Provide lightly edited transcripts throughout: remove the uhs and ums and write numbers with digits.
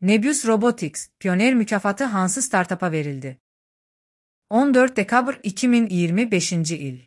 Nebius Robotics, Pioneer mükafatı hansı startup'a verildi? 14 dekabr 2025 il.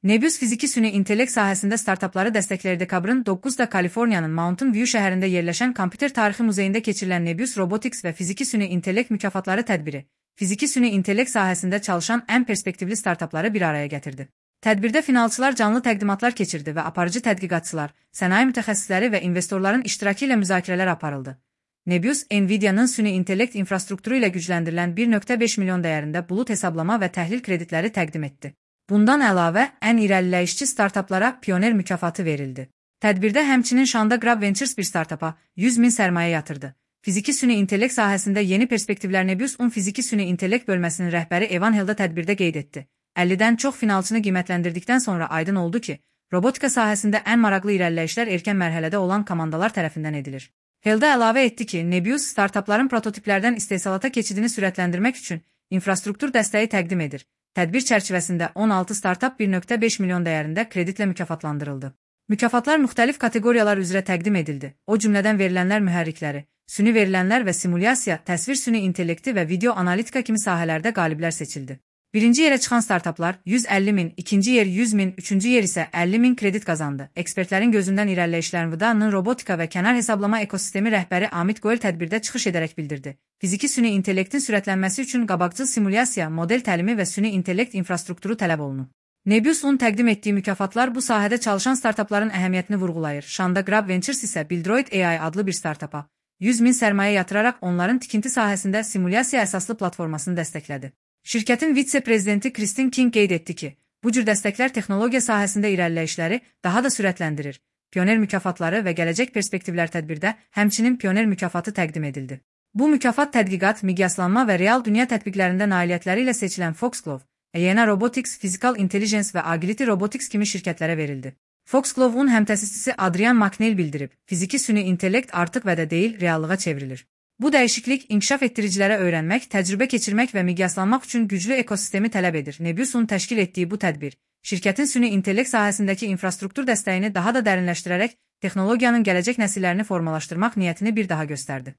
Nebius fiziki süni intellekt sahəsində startupları dəstəkləyir. Dekabrın 9'da Kaliforniyanın Mountain View şəhərində yerləşən Kompüter Tarixi Muzeyində keçirilən Nebius Robotics və fiziki süni intellekt mükafatları tədbiri, fiziki süni intellekt sahəsində çalışan ən perspektivli startupları bir araya gətirdi. Tədbirdə finalçılar canlı təqdimatlar keçirdi və aparıcı tədqiqatçılar, sənaye mütəxəssisləri və investorların iştirakı ilə müzakirələr aparıldı. Nebius, Nvidia'nın süni intellekt infrastrukturu ilə gücləndirilən 1.5 milyon dəyərində bulut hesablama və təhlil kreditləri təqdim etdi. Bundan əlavə, ən irəliləyişçi startuplara Pioneer mükafatı verildi. Tədbirdə həmçinin Shanda Grab Ventures bir startupa 100 min sərmayə yatırdı. Fiziki süni intellekt sahəsində yeni perspektivlər. Nebius-un fiziki süni intellekt bölməsinin rəhbəri Evan Helda tədbirdə qeyd etdi. 50-dən çox finalçını qiymətləndirdikdən sonra aydın oldu ki, robotika sahəsində ən maraqlı irəliləyişlər erkən mərhələdə olan komandalar tərəfindən edilir. Helda əlavə etdi ki, Nebius startupların prototiplərdən istehsalata keçidini sürətləndirmək üçün infrastruktur dəstəyi təqdim edir. Tədbir çərçivəsində 16 startup 1.5 milyon dəyərində kreditlə mükafatlandırıldı. Mükafatlar müxtəlif kateqoriyalar üzrə təqdim edildi. O cümlədən verilənlər mühərrikləri, süni verilənlər və simulyasiya, təsvir süni intellekti və video analitika kimi sahələrdə qaliblər seçildi. Birinci yerə çıxan startuplar 150 min, ikinci yer 100 min, üçüncü yer isə 50 min kredit qazandı. Ekspertlərin gözündən irəliləyişlərin Nvidia'nın robotika və kənar hesablama ekosistemi rəhbəri Amit Goel tədbirdə çıxış edərək bildirdi. Fiziki süni intellektin sürətlənməsi üçün qabaqcıl simulyasiya, model təlimi və süni intellekt infrastrukturu tələb olunur. Nebius-un təqdim etdiyi mükafatlar bu sahədə çalışan startupların əhəmiyyətini vurğulayır. Shanda Grab Ventures isə Bildroid AI adlı bir startupa 100 min sərmayə yatıraraq onların tikinti sahəsində simulyasiya əsaslı platformasını dəstəklədi. Şirkətin vitse-prezidenti Kristin King qeyd etdi ki, bu cür dəstəklər texnologiya sahəsində irəliləyişləri daha da sürətləndirir. Pioneer mükafatları və gələcək perspektivlər tədbirdə həmçinin Pioneer mükafatı təqdim edildi. Bu mükafat tədqiqat, miqyaslanma və real dünya tətbiqlərində nailiyyətləri ilə seçilən Foxglove, Aena Robotics, Physical Intelligence və Agility Robotics kimi şirkətlərə verildi. Foxglove-un həmtəsisçisi Adrian McNeil bildirib, fiziki süni intellekt artıq vədə deyil, reallığa çevrilir. Bu dəyişiklik inkişaf etdiricilərə öyrənmək, təcrübə keçirmək və miqyaslanmaq üçün güclü ekosistemi tələb edir. Nebius-un təşkil etdiyi bu tədbir, şirkətin süni intellekt sahəsindəki infrastruktur dəstəyini daha da dərinləşdirərək texnologiyanın gələcək nəsillərini formalaşdırmaq niyyətini bir daha göstərdi.